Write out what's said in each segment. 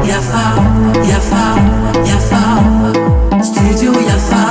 Yafa, yafa, yafa, studio Yafa.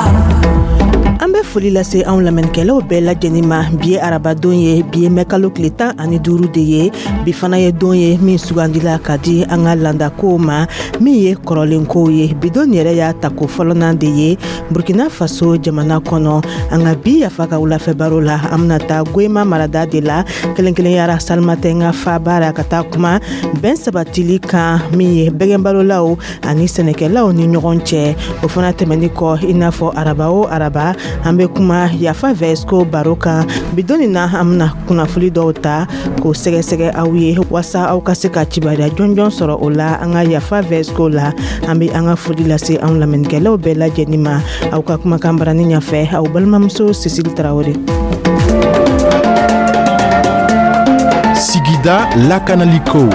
An bɛ foli lase anw lamɛnnikɛlaw bɛɛ lajɛlen ma. Bi ye arabadon ye, bi ye mɛkalo tile 15 de ye. Bi fana ye don ye min sugandila ka di an ka landakow ma, min ye kɔrɔlenkow ye. Bi don yɛrɛ y'a tako fɔlɔnan de ye Burkina Faso jamana kɔnɔ. An ka bi Yafa ka wulafɛ baro la, an bɛna taa Goyima marada de la, kɛrɛnkɛrɛnyara Salimatɛnga faaba ra, ka taa kuma bɛn sabatili kan min ye bɛgɛnbalolaw ani sɛnɛkɛlaw ni ɲɔgɔn cɛ. O fana tɛmɛni kɔ, i n'a fɔ araba o araba, an bɛ kuma Yafa Vɛsiko baro kan. Bi don nin na, an bɛna kunnafoli dɔw ta k'o sɛgɛsɛgɛ aw ye, walasa aw ka se ka kibaruya jɔnjɔn sɔrɔ o la an ka Yafa Vɛsiko la. An bɛ an ka foli lase anw lamɛnnikɛlaw bɛɛ lajɛlen ma. Aw ka kumakan barani ɲɛfɛ, aw balimamuso Sisili Tarawele. Sigida lakanaliko.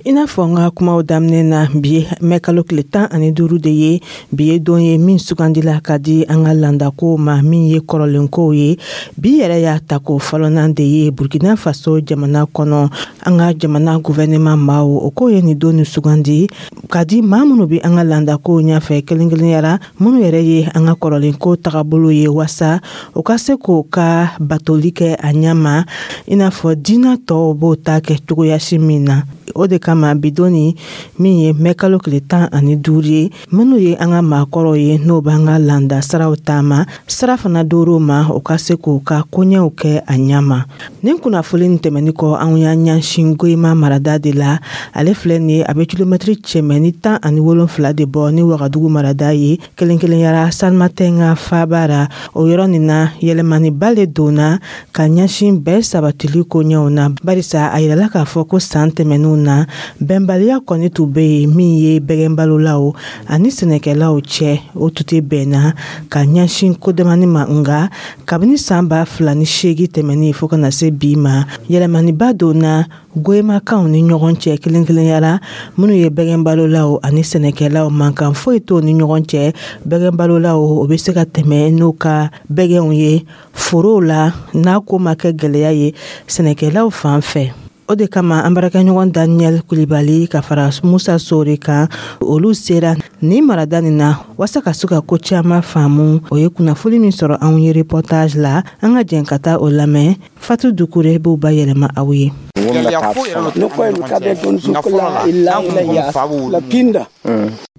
I n'a fɔ n ka kumaw daminɛ na, bi mɛkalo tile 15 de ye. Bi ye don ye min sugandila ka di an ka landakow ma, min ye kɔrɔlenkow ye. Bi yɛrɛ y'a tako fɔlɔnan de ye Burkina Faso jamana kɔnɔ. An ka jamana gouvernement maaw, o ko ye nin don nin sugandi ka di maa minnu bɛ an ka landakow ɲɛfɛ, kɛrɛnkɛrɛnyara minnu yɛrɛ ye an ka kɔrɔlenko tagabolo ye, wasa o ka se k'o ka batoli kɛ a ɲɛ ma, i n'a fɔ diinɛ tɔw b'o ta kɛ cogoyasi min na. O de kama bi don nin min ye mɛkalo tile 15 ye, minnu ye an ka maakɔrɔw ye, n'o b'an ka landa siraw taama, sira fana dor'o ma, o ka se k'o ka koɲɛw kɛ a ɲɛ ma. Nin kunnafoli nin tɛmɛni kɔ, anw y'an ɲɛsin Goyima marada de la. Ale filɛ nin ye, a bɛ kilomɛtiri 117 de bɔ ni Wagadugu marada ye, kɛrɛnkɛrɛnyara Salimatɛnga faaba ra. O yɔrɔ nin na, yɛlɛmaniba le donna ka ɲɛsin bɛɛ sabatili koɲɛw na, barisa a yirala k'a fɔ ko san tɛmɛnenw na, bɛnbaliya kɔni tun bɛ yen min ye bɛgɛnbalolaw ani sɛnɛkɛlaw cɛ. O tun tɛ bɛnna ka ɲɛsin kodamani ma. Nka kabini san 2008 tɛmɛnen fo ka na se bi ma, yɛlɛmaniba donna Goyimakaw ni ɲɔgɔn cɛ, kɛrɛnkɛrɛnyara minnu ye bɛgɛnbalolaw ani sɛnɛkɛlaw. Mankan foyi t'o ni ɲɔgɔn cɛ. Bɛgɛnbalolaw, o bɛ se ka tɛmɛ n'u ka bɛgɛnw ye forow la, n'a ko ma kɛ gɛlɛya ye sɛnɛkɛlaw fan fɛ. O de kama an baarakɛɲɔgɔn Daniel Kulibali ka fara Musa Sore kan, olu sera nin marada nin na walasa ka se ka ko caman faamu. O ye kunnafoni min sɔrɔ anw ye reportage la, an ka jɛn ka taa o lamɛn. Fatu Dukure b'o bayɛlɛma aw ye.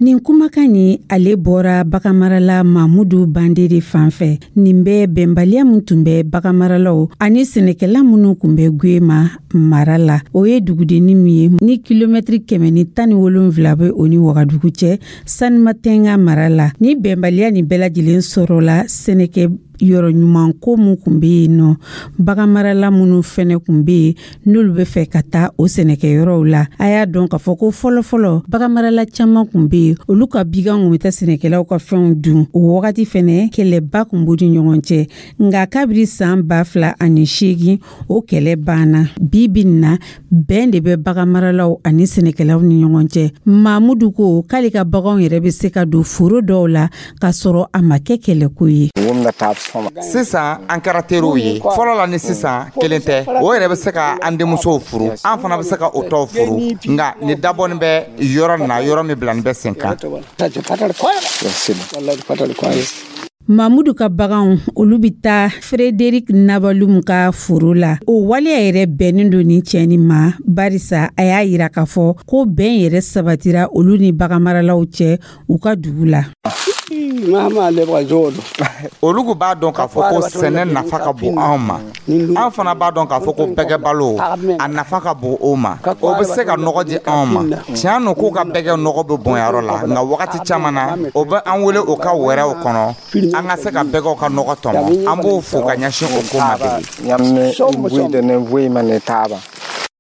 Nin kumakan nin, ale bɔra baganmarala Mamudu Bande de fan fɛ. Nin bɛ bɛnbaliya min tun bɛ baganmaralaw ani sɛnɛkɛla minnu tun bɛ Goyima mara la, o ye dugudenni min ye ni kilomɛtiri 117 bɛ o ni Wagadugu cɛ, Sanimatɛnga mara la. Ni bɛnbaliya nin bɛɛ lajɛlen sɔrɔla sɛnɛkɛ yɔrɔ ɲuman ko min tun bɛ yen nɔ, baganmarala minnu fɛnɛ tun bɛ yen, n'olu bɛ fɛ ka taa o sɛnɛkɛyɔrɔw la. A y'a dɔn k'a fɔ ko fɔlɔfɔlɔ, baganmarala caman tun bɛ yen, olu ka biganw tun bɛ taa sɛnɛkɛlaw ka fɛnw dun. O wagati fɛnɛ, kɛlɛba tun b'u ni ɲɔgɔn cɛ. Nka kabiri san 2008, o kɛlɛ banna. Bi bi in na, bɛn de bɛ baganmaralaw ani sɛnɛkɛlaw ni ɲɔgɔn cɛ. Mamudu ko k'ale ka baganw yɛrɛ bɛ se ka don foro dɔw la k'a sɔrɔ a ma kɛ kɛlɛko ye. Sisan an kɛra teriw ye. Fɔlɔ la ni sisan kelen tɛ. O yɛrɛ bɛ se ka an denmusow furu, an fana bɛ se ka o tɔw furu. Nka nin dabɔnin bɛ yɔrɔ na, yɔrɔ min bilani bɛ sen kan. Mamudu ka baganw, olu bɛ taa Frederic Nabalum ka foro la. O waleya yɛrɛ bɛnnen don nin cɛ nin ma, barisa a y'a yira k'a fɔ ko bɛn yɛrɛ sabatira olu ni baganmaralaw cɛ u ka dugu la. Olu b'a dɔn k'a fɔ ko sɛnɛ nafa ka bon anw ma. An fana b'a dɔn k'a fɔ ko bɛgɛbalo a nafa ka bon o ma. O bɛ se ka nɔgɔ di anw ma. Tiɲɛ don k'u ka bɛgɛ nɔgɔ bɛ bɔnyɔrɔ la, nka wagati caman na, o bɛ an wele o ka wɛrɛw kɔnɔ an ka se ka bɛgɛw ka nɔgɔ tɔmɔ. An b'o fo ka ɲɛsin o ko ma de.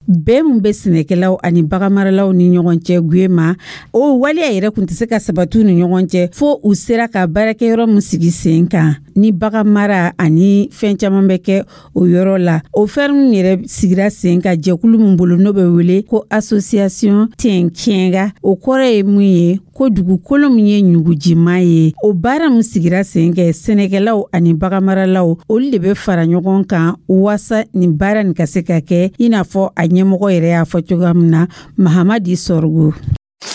Bɛn min bɛ sɛnɛkɛlaw ani baganmaralaw ni ɲɔgɔn cɛ Goyima, o waleya yɛrɛ tun tɛ se ka sabati u ni ɲɔgɔn cɛ fo u sera ka baarakɛyɔrɔ min sigi sen kan. Ni bagan mara ani fɛn caman bɛ kɛ o yɔrɔ la. O ferme yɛrɛ sigira sen kan jɛkulu min bolo, n'o bɛ wele ko Association Tɛnkɛnga, o kɔrɔ ye mun ye? Ko dugukolo min ye ɲugujima ye. O baara min sigira sen kɛ, sɛnɛkɛlaw ani baganmaralaw, olu de bɛ fara ɲɔgɔn kan waasa nin baara nin ka se ka kɛ, i n'a fɔ a ɲɛmɔgɔ yɛrɛ y'a fɔ cogoya min na, Mahamadi Sɔrɔgo.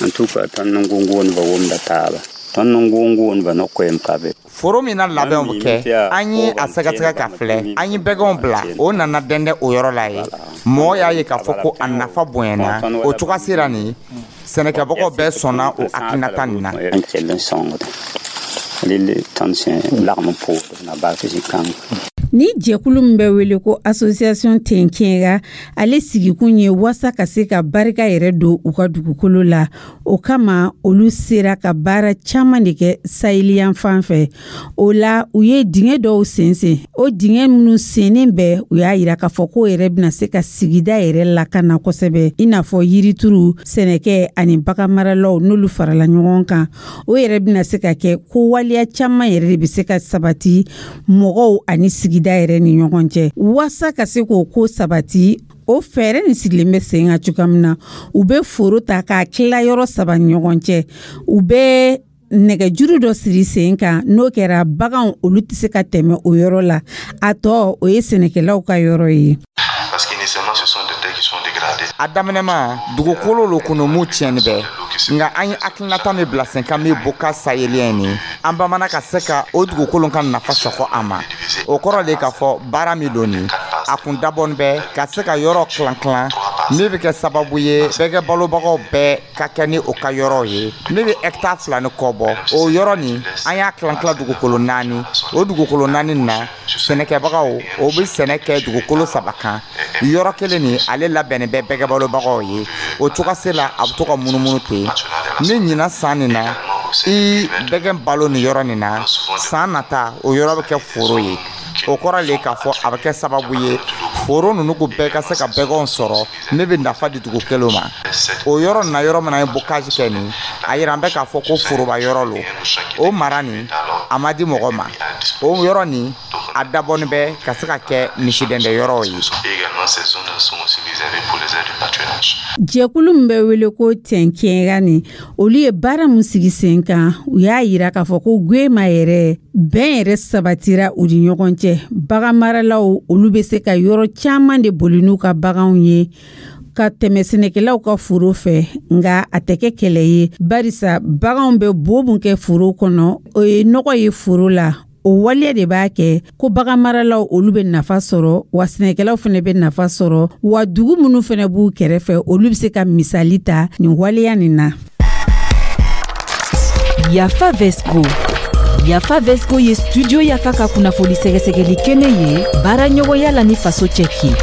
En tout cas, tõnd n gũngʋʋndbã wʋmda taaba, tõnd n gũngʋʋndbã no-koɛɛm ka be. Foro min na labɛnw bɛ kɛ, an ye a sɛgɛsɛgɛ ka filɛ, an ye bɛgɛnw bila, o nana dɛndɛ o yɔrɔ la ye. Mɔgɔ y'a ye k'a fɔ ko a nafa bonyana. O cogoya sera nin, sɛnɛkɛbagaw bɛɛ sɔnna o hakilinata nin na. N kell n sõngde rel tõnd sẽn lagm n poor na bak zĩ-kãng. Ni jɛkulu min bɛ wele ko Association Tɛnkɛnga, ale sigikun ye waasa ka se ka barika yɛrɛ don u ka dugukolo la. O kama, olu sera ka baara caman de kɛ saheliyan fan fɛ. O la, u ye dingɛ dɔw sen sen. O dingɛ minnu sennen bɛ, u y'a yira k'a fɔ k'o yɛrɛ bɛna se ka sigida yɛrɛ lakana kosɛbɛ, i n'a fɔ yirituru, sɛnɛkɛ ani baganmaralaw, n'olu farala ɲɔgɔn kan, o yɛrɛ bɛna se ka kɛ ko waleya caman yɛrɛ de bɛ se ka sabati mɔgɔw ani sigida yɛrɛ ni ɲɔgɔn cɛ. Waasa ka se k'o ko sabati, o fɛɛrɛ nin sigilen bɛ sen kan cogoya min na, u bɛ foro ta k'a tila yɔrɔ saba ni ɲɔgɔn cɛ, u bɛ nɛgɛjuru dɔ siri sen kan. N'o kɛra, baganw olu tɛ se ka tɛmɛ o yɔrɔ la. A tɔ, o ye sɛnɛkɛlaw ka yɔrɔ ye. Parce qu'initialement, ce sont des terres qui sont dégradées. A daminɛma, dugukolo lo kɔnɔ mu tiɲɛni bɛ, nka an ye hakilinata min bila sen kan, min bɔ sahélien ni an bamana ka se ka o dugukolo ka nafa sɔkɔ a ma, o kɔrɔ de k'a fɔ baara min don nin, a kun dabɔni bɛ ka se ka yɔrɔ kilan kilan min bɛ kɛ sababu ye bɛgɛ balobagaw bɛɛ ka kɛ ni o ka yɔrɔ ye, min bɛ hectare 2 ni kɔ bɔ. O yɔrɔ nin, an y'a kilan kilan dugukolo naani. O dugukolo naani na, sɛnɛkɛbagaw o bɛ sɛnɛ kɛ dugukolo saba kan. Yɔrɔ kelen nin, ale labɛnnen bɛ bɛgɛ balobagaw ye. O cogoya la, a bɛ to ka munumunu ten. Ni ɲinan san nin na, i bɛgɛ balo nin yɔrɔ nin na, san nata, o yɔrɔ bɛ kɛ foro ye. O kɔrɔ le k'a fɔ a bɛ kɛ sababu ye foro ninnu ko bɛɛ ka se ka bɛgɛnw sɔrɔ min bɛ nafa di dugu kelen ma. O yɔrɔ nin na, yɔrɔ min na an ye bocage kɛ nin, a yira an bɛ k'a fɔ ko foroba yɔrɔ lo. O mara nin, a ma di mɔgɔ ma. O yɔrɔ nin, a dabɔnin bɛ ka se ka kɛ misidɛndɛ yɔrɔw ye. Et également, ces zones sont aussi réservées pour les aires de pâturage. Jɛkulu min bɛ wele ko Tɛnkɛnga nin, olu ye baara min sigi sen kan, u y'a yira k'a fɔ ko Gwema yɛrɛ, bɛn yɛrɛ sabatira u ni ɲɔgɔn cɛ. Baganmaralaw, olu bɛ se ka yɔrɔ caman de boli n'u ka baganw ye ka tɛmɛ sɛnɛkɛlaw ka foro fɛ, nka a tɛ kɛ kɛlɛ ye, barisa baganw bɛ bo mun kɛ foro kɔnɔ, o ye nɔgɔ ye foro la. O waleya de b'a kɛ ko baganmaralaw, olu bɛ nafa sɔrɔ, wa sɛnɛkɛlaw fana bɛ nafa sɔrɔ, wa dugu minnu fana b'u kɛrɛfɛ, olu bɛ se ka misali ta nin waleya nin na. Yafa Vesco. Yafa Vesco ye Studio Yafa ka kunnafoni sɛgɛsɛgɛli kɛnɛ ye, baara ɲɔgɔnya la ni Faso Cɛki.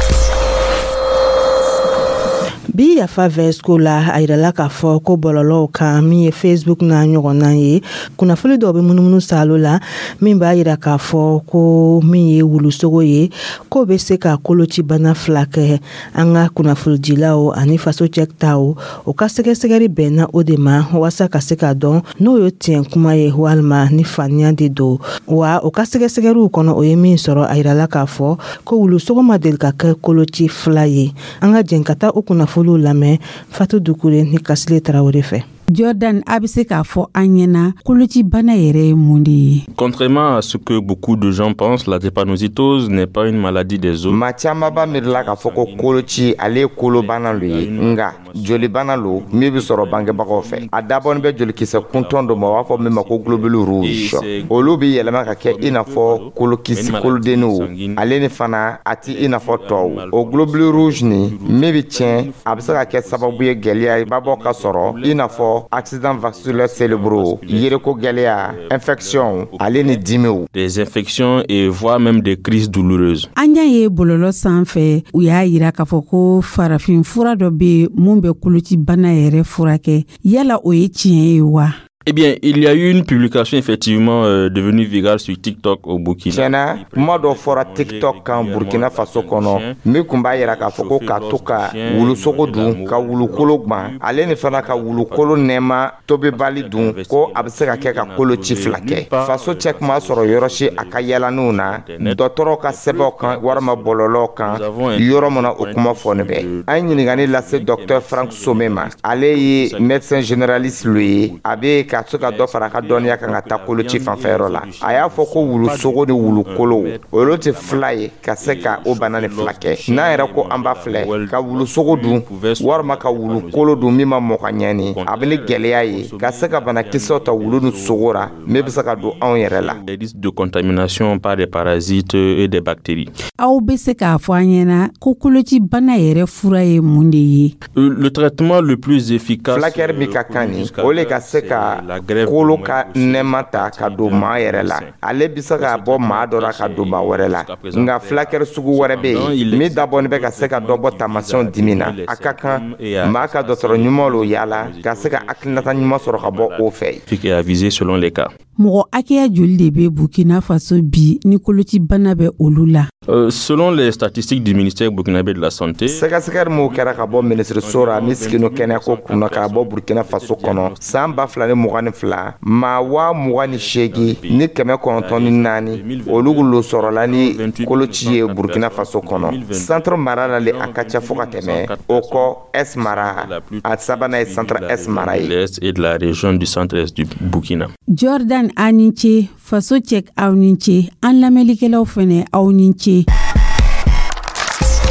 Bi Yafa Vesco la, a yirala k'a fɔ ko bɔlɔlɔw kan, min ye Facebook n'a ɲɔgɔnna ye, kunnafoni dɔw bɛ munumunu salo la min b'a yira k'a fɔ ko min ye wulusogo ye, k'o bɛ se ka kolocibana fila kɛ. An ka kunnafonidilaw ani Faso Cɛ taw, o ka sɛgɛsɛgɛli bɛnna o de ma waasa ka se k'a dɔn n'o ye tiɲɛ kuma ye walima ni faniya de don wa. O ka sɛgɛsɛgɛliw kɔnɔ, o ye min sɔrɔ, a yirala k'a fɔ ko wulusogo ma deli ka kɛ koloci fila ye. An ka jɛn ka taa o kunnafoniw lamɛn Fatu Dukure ni Kasile Tarawele fɛ. Jordan, a bɛ se k'a fɔ an ɲɛna, kolocibana yɛrɛ ye mun de ye? Contrairement à ce que beaucoup de gens pensent, la drépanocytose n'est pas une maladie des os. Maa caman b'a miirila k'a fɔ ko koloci, ale ye kolobana lo ye, nga jolibana lo min bɛ sɔrɔ bangebagaw fɛ. A dabɔnin bɛ jolikisɛ kuntɔn dɔ ma, u b'a fɔ min ma ko globule rouge. Olu bɛ yɛlɛma ka kɛ i n'a fɔ kolokisi kolodenniw. Ale ni fana, a ti i n'a fɔ tɔw. O globule rouge nin min bɛ tiɲɛ, a bɛ se ka kɛ sababu ye gɛlɛya babɔ ka sɔrɔ, i n'a fɔ accident vasculaire cérébraux, yereko gɛlɛya, infection, ale ni dimiw. Des infections et voire même des crises douloureuses. An y'a ye bɔlɔlɔ sanfɛ, u y'a yira k'a fɔ ko farafin fura dɔ bɛ yen mun bɛ kolocibana yɛrɛ furakɛ. Yala o ye tiɲɛ ye wa? Eh bien, il y a eu une publication effectivement devenue virale sur TikTok au Burkina. Tiɲɛna, kuma dɔ fɔra TikTok kan Burkina Faso kɔnɔ min kun b'a yira k'a fɔ ko ka to ka wulusogo dun, ka wulukolo gwan, ale ni fana ka wulukolo nɛma tobibali dun, ko a bɛ se ka kɛ ka koloci fila kɛ. Faso cɛ kuma sɔrɔ yɔrɔ si a ka yalaniw na, dɔgɔtɔrɔw ka sɛbɛnw kan walima bɔlɔlɔw kan, yɔrɔ min na o kuma fɔni bɛ. An ye ɲininkali lase Docteur Frank Some ma, ale ye médecin généraliste lo ye, a bɛ ka se ka dɔ fara a ka dɔnniya kan ka taa koloci fanfɛyɔrɔ la. A y'a fɔ ko wulusogo ni wulukolow, olu tɛ fila ye ka se ka o bana ni fila kɛ. N'an yɛrɛ ko an b'a filɛ ka wulusogo dun walima ka wulukolo dun min ma mɔ ka ɲɛ, ni a bɛ ni gɛlɛya ye ka se ka banakisɛw ta wulu ni sogo ra min bɛ se ka don anw yɛrɛ la. Les risques de contamination par des parasites et des bactéries. Aw bɛ se k'a fɔ an ɲɛna ko kolocibana yɛrɛ fura ye mun de ye? Le traitement le plus efficace, Fulakɛri min ka kan nin, o le ka se ka kolo ka nɛma ta ka don maa yɛrɛ la, ale bɛ se ka bɔ maa dɔ la ka don maa wɛrɛ la. Nka fulakɛri sugu wɛrɛ bɛ yen min dabɔnin bɛ ka se ka dɔ bɔ taamasiyɛnw dimi na. A ka kan maa ka dɔgɔtɔrɔ ɲuman lo yaala ka se ka hakilinata ɲuman sɔrɔ ka bɔ o fɛ. Et avisé selon les cas. Mɔgɔ hakɛya joli de bɛ Burkina Faso bi ni kolocibana bɛ olu la? Selon les statistiques du ministère burkinabé de la Santé, Sɛgɛsɛgɛli min kɛra ka bɔ minisiriso ra min sigino kɛnɛyako kunna ka bɔ Burkina Faso kɔnɔ san 2022, maa 28,904, olu lo sɔrɔla ni koloci ye Burkina Faso kɔnɔ. Centre mara la le a ka ca fo ka tɛmɛ o kɔ Est mara, a sabanan ye Centre Est mara ye. L'Est et de la région du centre-est du Burkina. Jordan, aw ni ce. Faso cɛ, aw ni ce. An lamɛnlikɛlaw fɛnɛ, aw ni ce.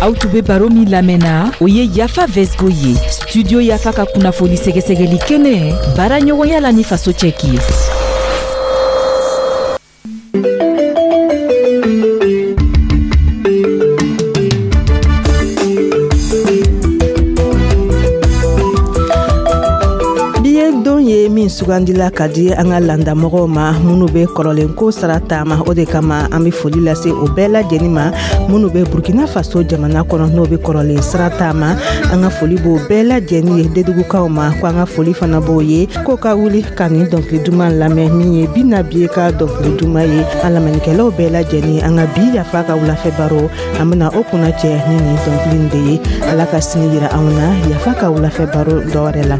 Aw tun bɛ baro min lamɛnna, o ye Yafa Vesgo ye, Studio Yafa ka kunnafoni sɛgɛsɛgɛli kɛnɛ, baara ɲɔgɔnya la ni Faso cɛki ye. Bi ye don ye min sugandila ka di an ka landamɔgɔw ma minnu bɛ kɔrɔlenko sara taama. O de kama an bɛ foli lase o bɛɛ lajɛlen ma minnu bɛ Burkina Faso jamana kɔnɔ, n'o bɛ kɔrɔlen sira taama. An ka foli b'o bɛɛ lajɛlen ye. Dedugukaw ma ko an ka foli fana b'o ye, k'o ka wuli ka nin dɔnkili duman lamɛn min ye Bina Biye ka dɔnkili duman ye. An lamɛnnikɛlaw bɛɛ lajɛlen, an ka bi Yafa ka wulafɛ baro, an bɛna o kunna cɛ ni nin dɔnkili in de ye. Ala ka sini yira anw na Yafa ka wulafɛ baro dɔwɛrɛ la.